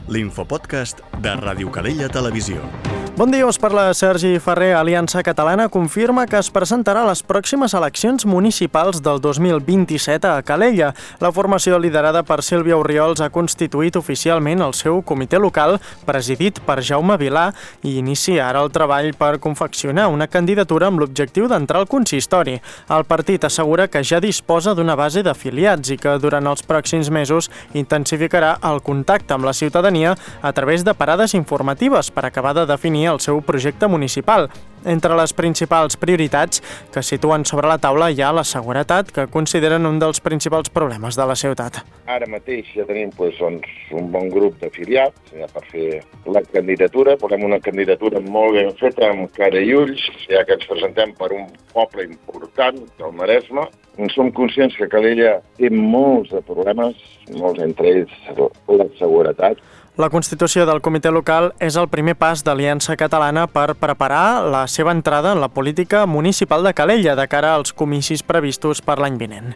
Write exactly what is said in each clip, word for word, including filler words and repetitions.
l'infopodcast de Ràdio Calella Televisió. Bon dia, us parla Sergi Ferrer. Aliança Catalana confirma que es presentarà a les pròximes eleccions municipals del dos mil vint-i-set a Calella. La formació liderada per Sílvia Orriols ha constituït oficialment el seu comitè local, presidit per Jaume Vilà, i inicia ara el treball per confeccionar una candidatura amb l'objectiu d'entrar al consistori. El partit assegura que ja disposa d'una base d'afiliats i que durant els pròxims mesos intensificarà el contacte amb la ciutadania a través de parades informatives per acabar de definir el seu projecte municipal. Entre les principals prioritats que situen sobre la taula hi ha la seguretat, que consideren un dels principals problemes de la ciutat. Ara mateix ja tenim doncs, un bon grup d'afiliats ja per fer la candidatura. Volem una candidatura molt ben feta, amb cara i ulls, ja que ens presentem per un poble important del Maresme. Som conscients que Calella té molts de problemes, molts entre ells la seguretat. La constitució del comitè local és el primer pas d'Aliança Catalana per preparar la seva entrada en la política municipal de Calella de cara als comicis previstos per l'any vinent.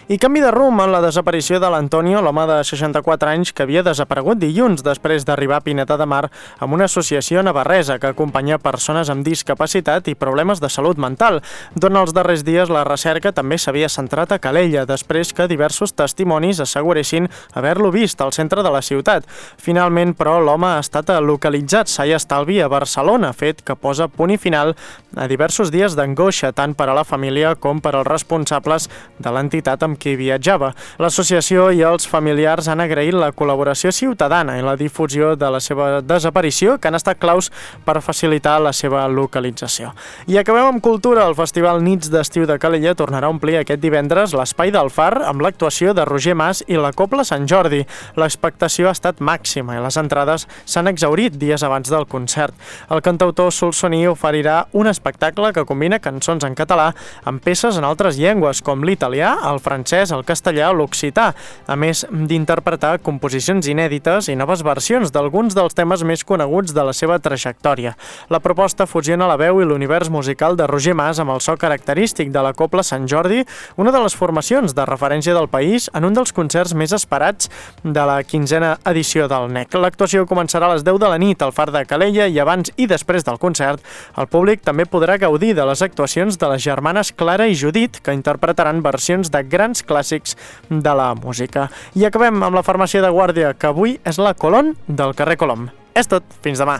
I canvi de rumb en la desaparició de l'Antonio, l'home de seixanta-quatre anys que havia desaparegut dilluns després d'arribar a Pineda de Mar amb una associació navarresa que acompanya persones amb discapacitat i problemes de salut mental. Durant els darrers dies la recerca també s'havia centrat a Calella després que diversos testimonis asseguressin haver-lo vist al centre de la ciutat. Finalment, però, l'home ha estat localitzat sa i estalvi a Barcelona, fet que posa punt i final a diversos dies d'angoixa tant per a la família com per als responsables de l'entitat amb qui viatjava. L'associació i els familiars han agraït la col·laboració ciutadana i la difusió de la seva desaparició, que han estat claus per facilitar la seva localització. I acabem amb cultura. El Festival Nits d'Estiu de Calella tornarà a omplir aquest divendres l'Espai del Far amb l'actuació de Roger Mas i la Cobla Sant Jordi. L'expectació ha estat màxima i les entrades s'han exhaurit dies abans del concert. El cantautor solsoní oferirà un espectacle que combina cançons en català amb peces en altres llengües, com l'italià, el francès, el castellà o l'occità, a més d'interpretar composicions inèdites i noves versions d'alguns dels temes més coneguts de la seva trajectòria. La proposta fusiona la veu i l'univers musical de Roger Mas amb el so característic de la Cobla Sant Jordi, una de les formacions de referència del país en un dels concerts més esperats de la quinzena edició del N E C. L'actuació començarà a les deu de la nit al Far de Calella i abans i després del concert el públic també podrà gaudir de les actuacions de les germanes Clara i Judit, que interpretaran versions de grans clàssics de la música. I acabem amb la farmàcia de guàrdia, que avui és la Colón del carrer Colom. És tot, fins demà.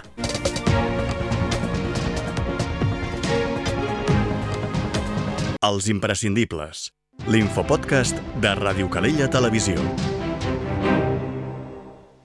Els imprescindibles, l'infopodcast de Ràdio Calella Televisió.